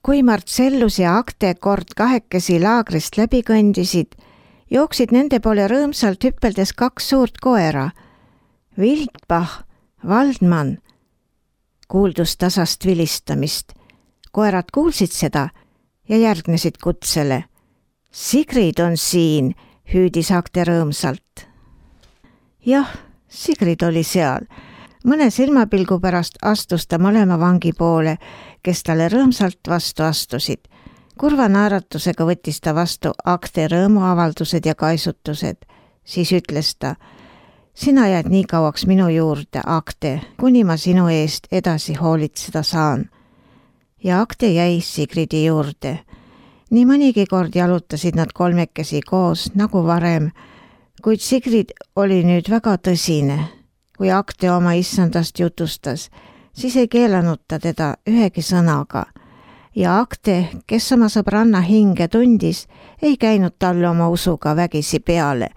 Kui Marcellus ja Acte kord kahekesi laagrist läbi kõndisid, jooksid nende poole rõõmsalt hüppeldes 2 suurt koera. Wildbach, Waldmann, kuuldus tasast vilistamist. Koerad kuulsid seda ja järgnesid kutsele. Sigrid on siin, hüüdis Acte rõõmsalt. Jah, Sigrid oli seal. Mõne silmapilgu pärast astus ta mõlema vangi poole, kes talle rõõmsalt vastu astusid. Kurva naeratusega võttis ta vastu Acte rõõmuavaldused ja kaisutused. Siis ütles ta, sina jääd nii kauaks minu juurde, Acte, kuni ma sinu eest edasi hoolitseda saan. Ja Acte jäi Sigridi juurde. Nii mõnigi kord jalutasid nad kolmekesi koos nagu varem, kuid Sigrid oli nüüd väga tõsine. Kui Acte oma issandast jutustas, siis ei keelanud ta teda ühegi sõnaga. Ja Acte, kes oma sõbranna hinge tundis, ei käinud talle oma usuga vägisi peale,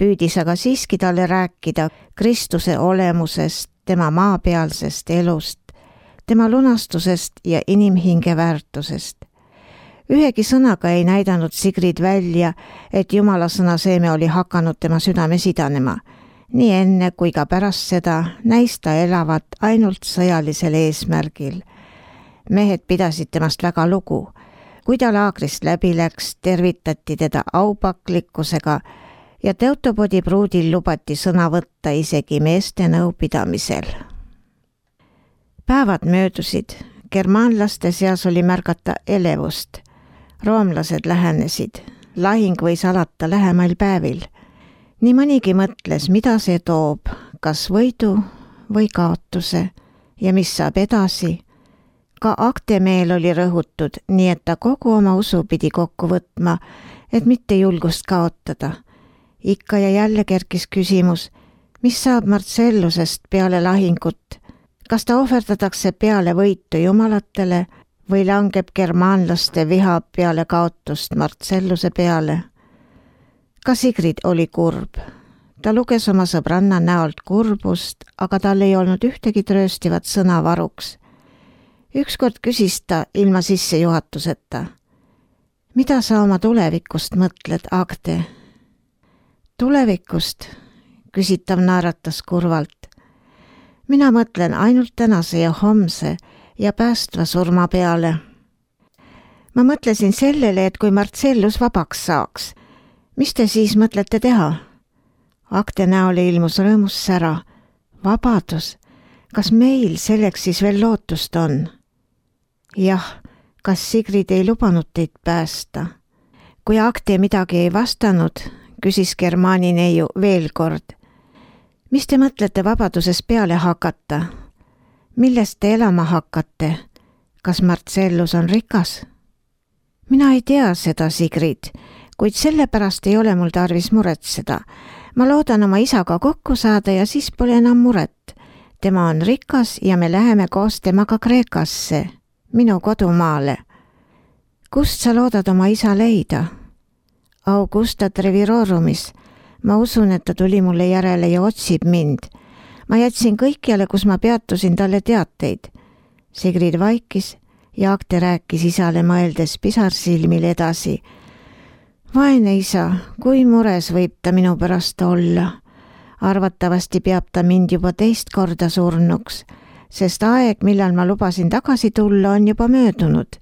püüdis aga siiski talle rääkida Kristuse olemusest, tema maapealsest elust, tema lunastusest ja inimhinge väärtusest. Ühegi sõnaga ei näidanud Sigrid välja, et Jumala sõna seeme oli hakanud tema südames idanema. Nii enne kui ka pärast seda näis ta elavat ainult sõjalisel eesmärgil. Mehed pidasid temast väga lugu. Kui ta laagrist läbi läks, tervitati teda aupaklikkusega ja Teutopodi pruudil lubati sõna võtta isegi meeste nõupidamisel. Päevad möödusid. Germaanlaste seas oli märgata elevust. Roomlased lähenesid. Lahing võis alata lähemail päevil. Nii mõnigi mõtles, mida see toob, kas võidu või kaotuse ja mis saab edasi. Ka Acte meel oli rõhutud, nii et ta kogu oma usu pidi kokku võtma, et mitte julgust kaotada. Ikka ja jälle kerkis küsimus, mis saab Marcellusest peale lahingut. Kas ta ohverdatakse peale võitu jumalatele või langeb germaanlaste viha peale kaotust Marcelluse peale? Ka Sigrid oli kurb. Ta luges oma sõbranna näolt kurbust, aga tal ei olnud ühtegi trööstivat sõna varuks. Ükskord küsis ta ilma sissejuhatuseta. Mida sa oma tulevikust mõtled, Acte? Tulevikust, küsitav naeratas kurvalt. Mina mõtlen ainult tänase ja homse ja päästva surma peale. Ma mõtlesin sellele, et kui Marcellus vabaks saaks, mis te siis mõtlete teha? Acte näole ilmus rõõmus sära. Vabadus. Kas meil selleks siis veel lootust on? Jah, kas Sigrid ei lubanud teid päästa? Kui Acte midagi ei vastanud, küsis Germaani neiu veel kord. Mis te mõtlete vabaduses peale hakata? Millest te elama hakkate? Kas Marcellus on rikas? Mina ei tea seda, Sigrid, kuid sellepärast ei ole mul tarvis muretseda. Ma loodan oma isaga kokku saada ja siis pole enam muret. Tema on rikas ja me läheme koos temaga Kreekasse, minu kodumaale. Kust sa loodad oma isa leida? Augusta Trevirorumis. Ma usun, et ta tuli mulle järele ja otsib mind. Ma jätsin kõikjale, kus ma peatusin talle teateid. Sigrid vaikis ja Acte rääkis isale mõeldes pisarsilmil edasi. Vaene isa, kui mures võib ta minu pärast olla. Arvatavasti peab ta mind juba 2 korda surnuks, sest aeg, millal ma lubasin tagasi tulla, on juba möödunud.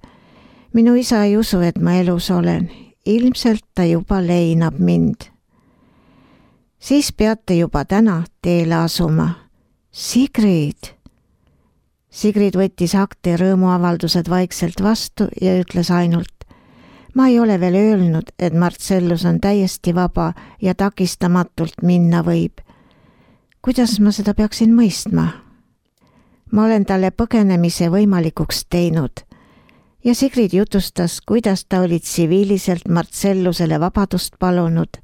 Minu isa ei usu, et ma elus olen. Ilmselt ta juba leinab mind. Siis peate juba täna teele asuma. Sigrid! Sigrid võttis Acte rõõmuavaldused vaikselt vastu ja ütles ainult, ma ei ole veel öelnud, et Marcellus on täiesti vaba ja takistamatult minna võib. Kuidas ma seda peaksin mõistma? Ma olen talle põgenemise võimalikuks teinud. Ja Sigrid jutustas, kuidas ta oli tsiviiliselt Marcellusele vabadust palunud,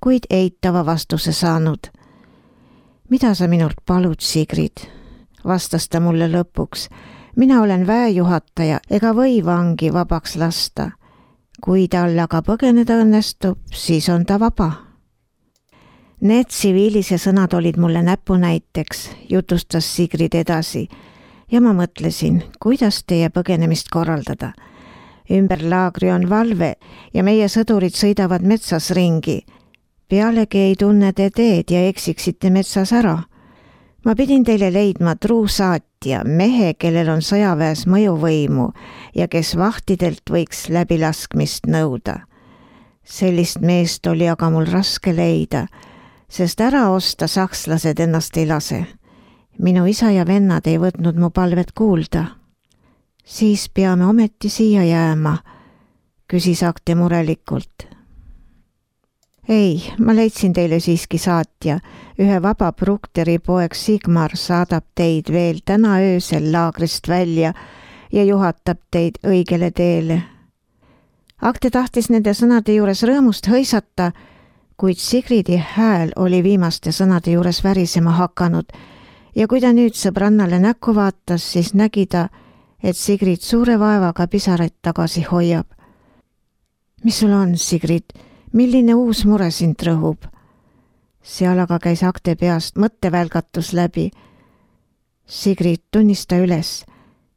kuid eitava vastuse saanud. Mida sa minult palud, Sigrid? Vastas ta mulle lõpuks. Mina olen väejuhataja ega või vangi vabaks lasta. Kui tal aga põgeneda õnnestub, siis on ta vaba. Need tsiviilise sõnad olid mulle näpunäiteks, jutustas Sigrid edasi, ja ma mõtlesin, kuidas teie põgenemist korraldada. Ümber laagri on valve ja meie sõdurid sõidavad metsas ringi. Pealegi ei tunne te teed ja eksiksite metsas ära. Ma pidin teile leidma truu saatja, mehe, kellel on sõjaväes mõjuvõimu ja kes vahtidelt võiks läbilaskmist nõuda. Sellist meest oli aga mul raske leida, sest ära osta sakslased ennast ei lase. Minu isa ja vennad ei võtnud mu palvet kuulda. Siis peame ometi siia jääma, küsis Akte murelikult. Ei, ma leidsin teile siiski saatja. Ühe vaba Brukteri poeg Sigmar saadab teid veel täna öösel laagrist välja ja juhatab teid õigele teele. Akte tahtis nende sõnade juures rõõmust hõisata, kuid Sigridi hääl oli viimaste sõnade juures värisema hakanud ja kui ta nüüd sõbrannale näkku vaatas, siis nägi ta, et Sigrid suure vaevaga pisaraid tagasi hoiab. Mis sul on, Sigrid? Milline uus mure sind rõhub? Seal aga käis Akte peast mõttevälgatus läbi. Sigrid, tunnista üles.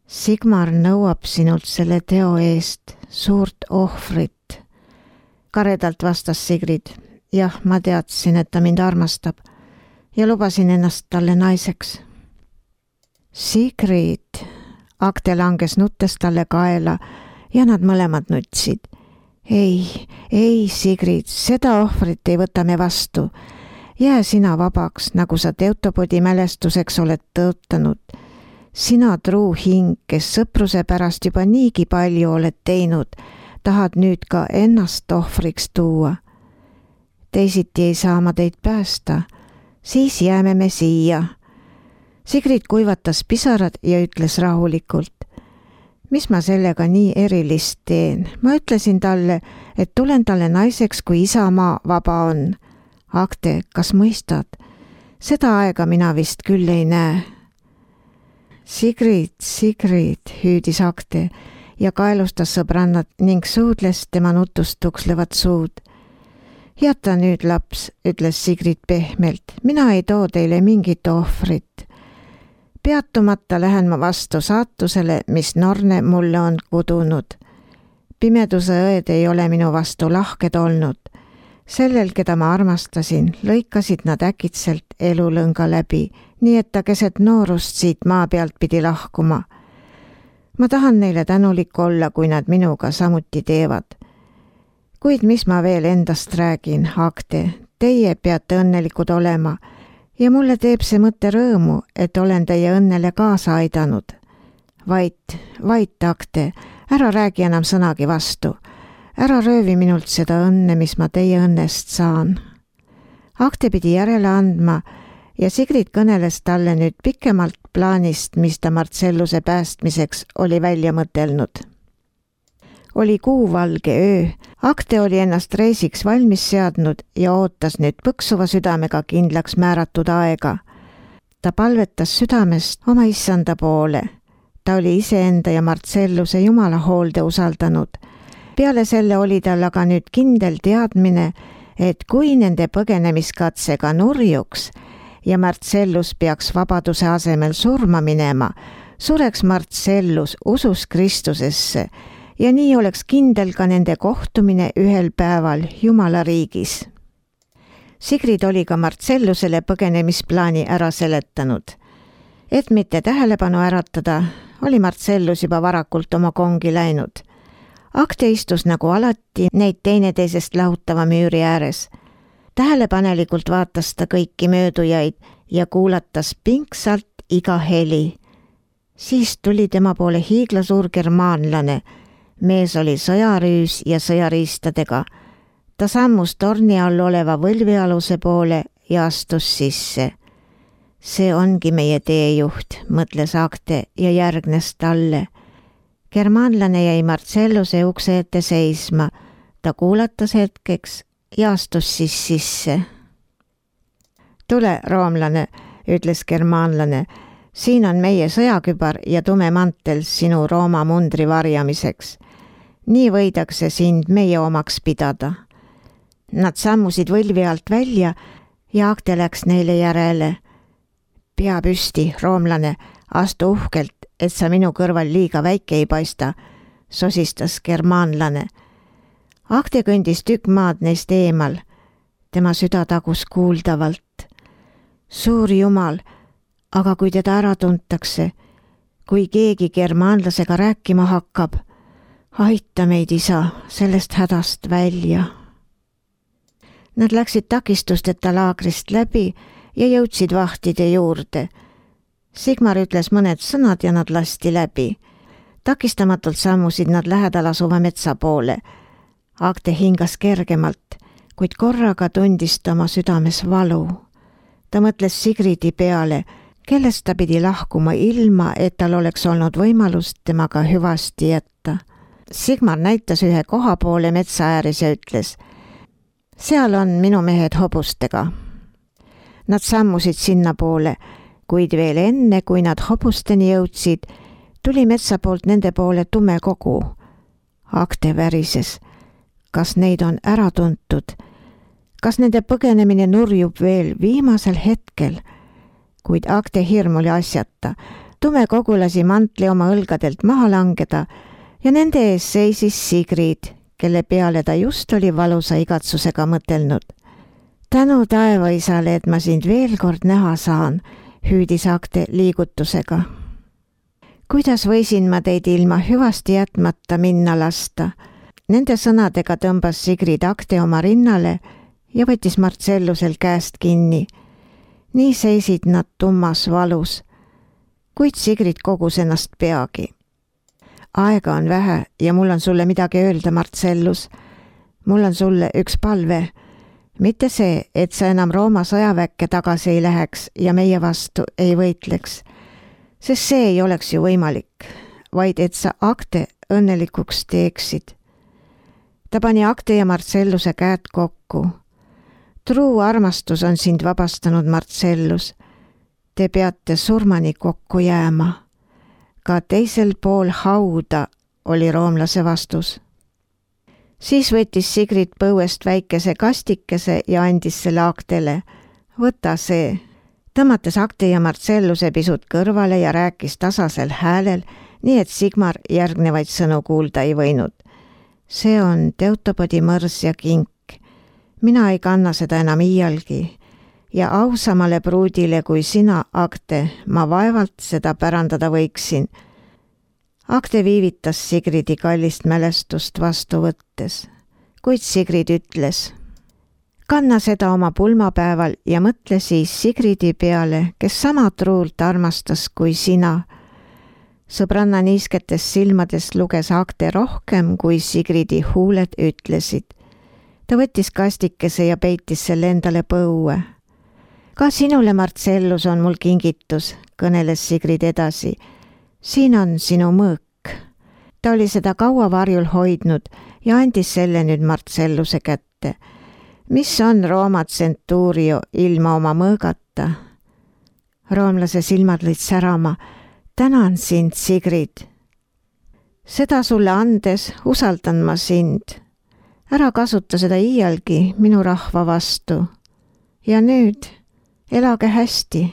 Sigmar nõuab sinult selle teo eest suurt ohvrit. Karedalt vastas Sigrid. Jah, ma teadsin, et ta mind armastab ja lubasin ennast talle naiseks. Sigrid, Akte langes nuttes talle kaela ja nad mõlemad nutsid. Ei, Sigrid, seda ohvrit ei võta me vastu. Jää sina vabaks, nagu sa Teutopodi mälestuseks oled tõotanud. Sina truu hing, kes sõpruse pärast juba niigi palju oled teinud, tahad nüüd ka ennast ohvriks tuua. Teisiti ei saa ma teid päästa, siis jääme me siia. Sigrid kuivatas pisarad ja ütles rahulikult. Mis ma sellega nii erilist teen? Ma ütlesin talle, et tulen talle naiseks, kui isamaa vaba on. Akte, kas mõistad? Seda aega mina vist küll ei näe. Sigrid, hüüdis Akte ja kaelustas sõbrannat ning suudles tema nutust tukslevat suud. Jäta nüüd, laps, ütles Sigrid pehmelt. Mina ei too teile mingit ohvrit. Peatumata lähen ma vastu saatusele, mis Norne mulle on kudunud. Pimeduse õed ei ole minu vastu lahked olnud. Sellel, keda ma armastasin, lõikasid nad äkitselt elulõnga läbi, nii et ta keset noorust siit maa pealt pidi lahkuma. Ma tahan neile tänulik olla, kui nad minuga samuti teevad. Kuid mis ma veel endast räägin, Akte, teie peate õnnelikud olema. Ja mulle teeb see mõtte rõõmu, et olen teie õnnele kaasa aidanud. Vait, Akte, ära räägi enam sõnagi vastu. Ära röövi minult seda õnne, mis ma teie õnnest saan. Akte pidi järele andma ja Sigrid kõneles talle nüüd pikemalt plaanist, mis ta Marcelluse päästmiseks oli välja mõtelnud. Oli kuuvalge öö. Akte oli ennast reisiks valmis seadnud ja ootas nüüd põksuva südamega kindlaks määratud aega. Ta palvetas südamest oma issanda poole. Ta oli iseenda ja Marcelluse Jumala hoolde usaldanud. Peale selle oli tal aga nüüd kindel teadmine, et kui nende põgenemiskatsega nurjuks ja Marcellus peaks vabaduse asemel surma minema, sureks Marcellus usus Kristusesse ja nii oleks kindel ka nende kohtumine ühel päeval Jumala riigis. Sigrid oli ka Marcellusele põgenemisplaani ära seletanud. Et mitte tähelepanu äratada, oli Marcellus juba varakult oma kongi läinud. Akte istus nagu alati neid teineteisest lahutava müüri ääres. Tähelepanelikult vaatas ta kõiki möödujaid ja kuulatas pingsalt iga heli. Siis tuli tema poole hiiglasuur germaanlane. Mees oli sõjarüüs ja sõjariistadega. Ta sammus torni all oleva võlvialuse poole ja astus sisse. See ongi meie teejuht, mõtles Akte ja järgnes talle. Germaanlane jäi Marcelluse ukse ette seisma. Ta kuulatas hetkeks ja astus siis sisse. Tule, roomlane, ütles germaanlane. Siin on meie sõjakübar ja tume mantel sinu Rooma mundri varjamiseks. Nii võidakse sind meie omaks pidada. Nad sammusid võlvi alt välja ja Akte läks neile järele. Pea püsti, roomlane, astu uhkelt, et sa minu kõrval liiga väike ei paista. sosistas germaanlane. Agde kõndis tükk maad neist eemal. Tema süda tagus kuuldavalt. Suur jumal, aga kui teda ära tuntakse, kui keegi germaanlasega rääkima hakkab, aita meid, isa, sellest hädast välja. Nad läksid takistusteta laagrist läbi ja jõudsid vahtide juurde. Sigmar ütles mõned sõnad ja nad lasti läbi. Takistamatult sammusid nad lähedal asuva metsa poole. Agde hingas kergemalt, kuid korraga tundis ta oma südames valu. Ta mõtles Sigridi peale, kellest ta pidi lahkuma ilma, et tal oleks olnud võimalust temaga hüvasti jätta. Sigmar näitas ühe koha poole metsa ääres ja ütles: seal on minu mehed hobustega. Nad sammusid sinna poole, kuid veel enne, kui nad hobusteni jõudsid, tuli metsa poolt nende poole tume kogu. Agde värises. Kas neid on ära tuntud? Kas nende põgenemine nurjub veel viimasel hetkel? Kuid Agde hirm oli asjata. Tume kogu lasi mantli oma õlgadelt maha langeda ja nende ees seisis Sigrid, kelle peale ta just oli valusa igatsusega mõtelnud. Tänu taevaisale, et ma sind veel kord näha saan, hüüdis Agde liigutusega. Kuidas võisin ma teid ilma hüvasti jätmata minna lasta? Nende sõnadega tõmbas Sigrid Agde oma rinnale ja võttis Marcellusel käest kinni. Nii seisid nad tummas valus, kuid Sigrid kogus ennast peagi. Aega on vähe ja mul on sulle midagi öelda, Marcellus. Mul on sulle üks palve. Mitte see, et sa enam Rooma sõjaväkke tagasi ei läheks ja meie vastu ei võitleks, sest see ei oleks ju võimalik, vaid et sa Agde õnnelikuks teeksid. Ta pani Agde ja Marcelluse käed kokku. Truu armastus on sind vabastanud, Marcellus. Te peate surmani kokku jääma. Ka teisel pool hauda, oli roomlase vastus. Siis võttis Sigrid põuest väikese kastikese ja andis selle Agdele. Võta see. Tõmmates Agde ja Marcelluse pisut kõrvale ja rääkis tasasel häälel, nii et Sigmar järgnevaid sõnu kuulda ei võinud. See on Teutopodi mõrs ja kink. Mina ei kanna seda enam iialgi ja ausamale pruudile kui sina, Agde, ma vaevalt seda pärandada võiksin. Agde viivitas Sigridi kallist mälestust vastu võttes, kuid Sigrid ütles: kanna seda oma pulmapäeval ja mõtle siis Sigridi peale, kes sama truult armastas kui sina. Sõbranna niisketes silmades luges Agde rohkem, kui Sigridi huuled ütlesid. Ta võttis kastikese ja peitis selle endale põue. Ka sinule, Marcellus, on mul kingitus, kõneles Sigrid edasi. Siin on sinu mõõk. Ta oli seda kaua varjul hoidnud ja andis selle nüüd Marcelluse kätte. Mis on Rooma tsentuurio ilma oma mõõgata? Roomlase silmad lõid särama. Tänan sind, Sigrid. Seda sulle andes usaldan ma sind. Ära kasuta seda iialgi minu rahva vastu. Ja nüüd elage hästi.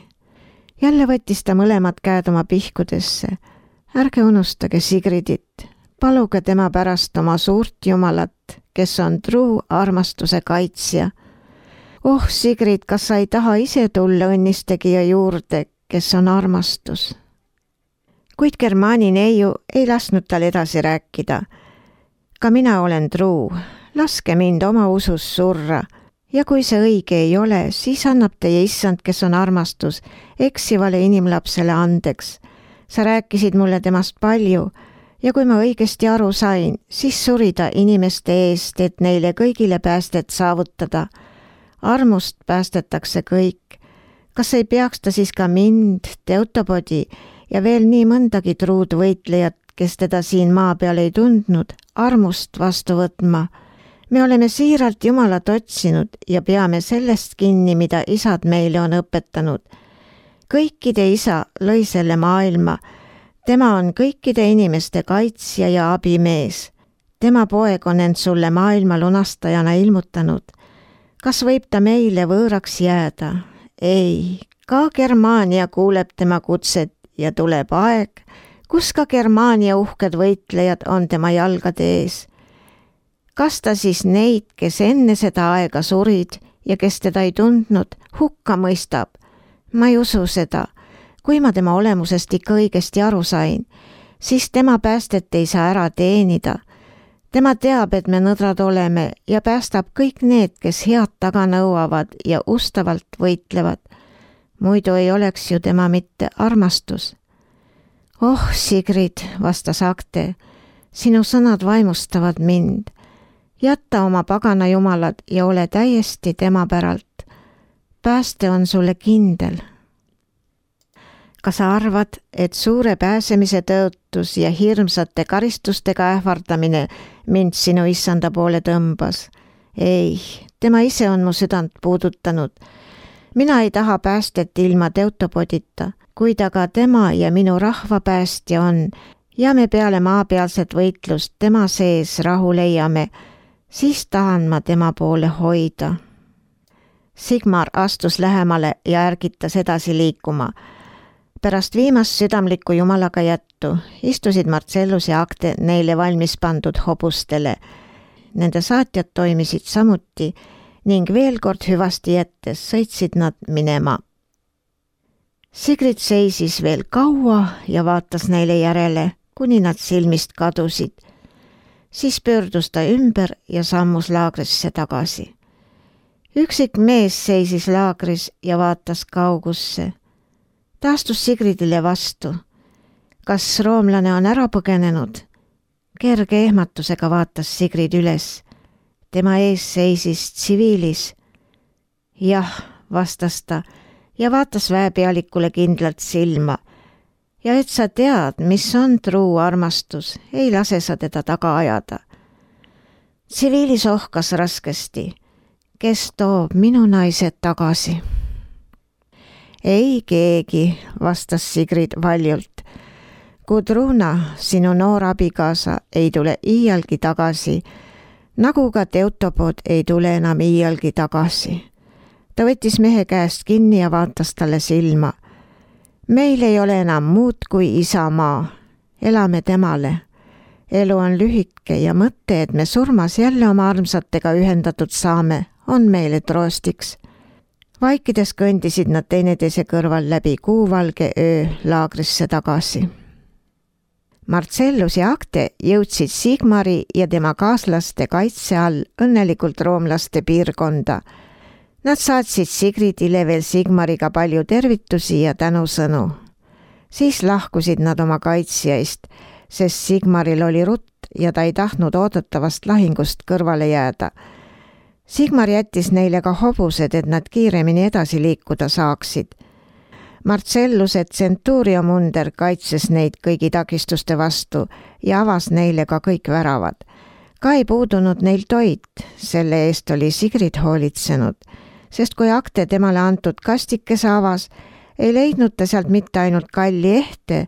Jälle võttis ta mõlemad käed oma pihkudesse. Ärge unustage Sigridit. Paluge tema pärast oma suurt jumalat, kes on truu armastuse kaitsja. Oh, Sigrid, kas sa ei taha ise tulla õnnistegija juurde, kes on armastus? Kuid Germaani neiu ei lasknud tal edasi rääkida. Ka mina olen truu. Laske mind oma usus surra ja kui see õige ei ole, siis annab teie issand, kes on armastus, eksivale inimlapsele andeks. Sa rääkisid mulle temast palju ja kui ma õigesti aru sain, siis suri ta inimeste eest, et neile kõigile päästet saavutada. Armust päästetakse kõik. Kas ei peaks ta siis ka mind, Teutopodi ja veel nii mõndagi truud võitlejat, kes teda siin maa peal ei tundnud, armust vastu võtma? Me oleme siiralt Jumalat otsinud ja peame sellest kinni, mida isad meile on õpetanud. Kõikide isa lõi selle maailma. Tema on kõikide inimeste kaitsja ja abimees. Tema poeg on end sulle maailma lunastajana ilmutanud. Kas võib ta meile võõraks jääda? Ei, ka Germaania kuuleb tema kutset ja tuleb aeg, kus ka Germaania uhked võitlejad on tema jalgade ees. Kas ta siis neid, kes enne seda aega surid ja kes teda ei tundnud, hukka mõistab? Ma ei usu seda. Kui ma tema olemusest ikka õigesti aru sain, siis tema päästet ei saa ära teenida. Tema teab, et me nõdrad oleme ja päästab kõik need, kes head taga nõuavad ja ustavalt võitlevad. Muidu ei oleks ju tema mitte armastus. Oh, Sigrid, vastas Agte, sinu sõnad vaimustavad mind. Jätta oma pagana jumalad ja ole täiesti tema päralt. Pääste on sulle kindel. Kas sa arvad, et suure pääsemise tõotus ja hirmsate karistustega ähvardamine mind sinu issanda poole tõmbas? Ei, tema ise on mu südant puudutanud. Mina ei taha päästet ilma Teutopodita, kuid aga tema ja minu rahva päästja on ja me peale maapealset võitlust tema sees rahu leiame, siis tahan ma tema poole hoida. Sigmar astus lähemale ja ärgitas edasi liikuma. Pärast viimast südamlikku jumalaga jättu istusid Marcellus ja Agte neile valmis pandud hobustele. Nende saatjad toimisid samuti ning veel kord hüvasti jättes sõitsid nad minema. Sigrid seisis veel kaua ja vaatas neile järele, kuni nad silmist kadusid. Siis pöördus ta ümber ja sammus laagrisse tagasi. Üksik mees seisis laagris ja vaatas kaugusse. Ta astus Sigridile vastu. Kas roomlane on ära põgenenud? Kerge ehmatusega vaatas Sigrid üles. Tema ees seisis tsiviilis. Jah, vastas ta ja vaatas väepealikule kindlalt silma. Ja et sa tead, mis on truu armastus, ei lase sa teda taga ajada. Tsiviilis ohkas raskesti. Kes toob minu naised tagasi? Ei keegi, vastas Sigrid valjult. Gudruna, sinu noor abikaasa, ei tule iialgi tagasi, nagu ka Teutopod ei tule enam iialgi tagasi. Ta võttis mehe käest kinni ja vaatas talle silma. Meil ei ole enam muud kui isamaa. Elame temale. Elu on lühike ja mõte, et me surmas jälle oma armsatega ühendatud saame, on meile troostiks. Vaikides kõndisid nad teineteise kõrval läbi kuuvalge öö laagrisse tagasi. Marcellus ja Agte jõudsid Sigmari ja tema kaaslaste kaitse all õnnelikult roomlaste piirkonda. Nad saatsid Sigridile veel Sigmariga palju tervitusi ja tänusõnu. Siis lahkusid nad oma kaitsjaist, sest Sigmaril oli rutt ja ta ei tahtnud oodatavast lahingust kõrvale jääda. Sigmar jättis neile ka hobused, et nad kiiremini edasi liikuda saaksid. Marcelluse Centurio munder kaitses neid kõigi takistuste vastu ja avas neile ka kõik väravad. Ka ei puudunud neil toit, selle eest oli Sigrid hoolitsenud, sest kui Agte temale antud kastikese avas, ei leidnud ta sealt mitte ainult kalli ehte,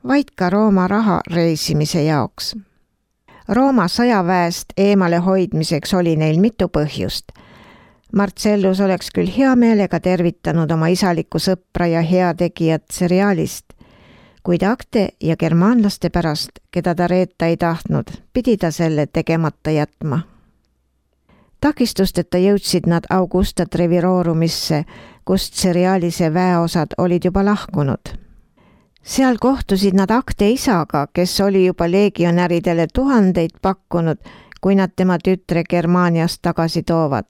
vaid ka Rooma raha reisimise jaoks. Rooma sõjaväest eemale hoidmiseks oli neil mitu põhjust. Marcellus oleks küll hea meelega tervitanud oma isalikku sõpra ja heategijat seriaalist, kuid Agte ja germaanlaste pärast, keda ta reeta ei tahtnud, pidi ta selle tegemata jätma. Takistusteta jõudsid nad Augusta Treviroorumisse, kust seriaalise väeosad olid juba lahkunud. Seal kohtusid nad Agte isaga, kes oli juba legionäridele 1000 pakkunud, kui nad tema tütre Germaaniast tagasi toovad.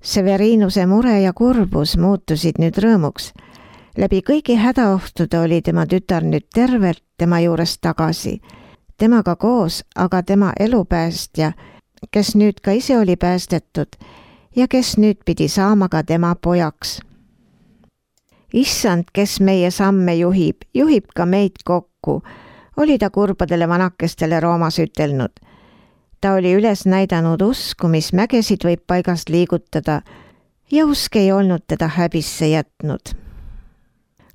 Severinuse mure ja kurbus muutusid nüüd rõõmuks. Läbi kõigi hädaohtude oli tema tütar nüüd tervelt tema juures tagasi. Temaga koos aga tema elupäästja, kes nüüd ka ise oli päästetud ja kes nüüd pidi saama ka tema pojaks. Issand, kes meie samme juhib ka meid kokku, oli ta kurbadele vanakestele Roomas ütelnud. Ta oli üles näidanud usku, mis mägesid võib paigast liigutada ja usk ei olnud teda häbisse jätnud.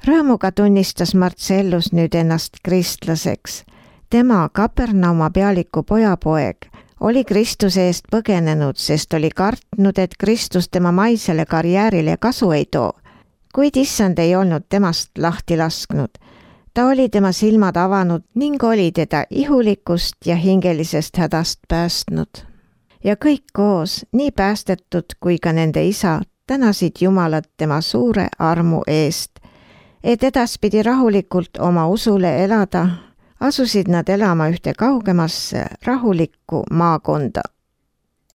Rõõmuga tunnistas Marcellus nüüd ennast kristlaseks. Tema Kapernauma pealiku pojapoeg oli Kristuse eest põgenenud, sest oli kartnud, et Kristus tema maisele karjäärile kasu ei too. Kuid issand ei olnud temast lahti lasknud. ta oli tema silmad avanud ning oli teda ihulikust ja hingelisest hädast päästnud. Ja kõik koos, nii päästetud kui ka nende isa, tänasid Jumalat tema suure armu eest, et edaspidi rahulikult oma usule elada, asusid nad elama ühte kaugemasse rahulikku maakonda.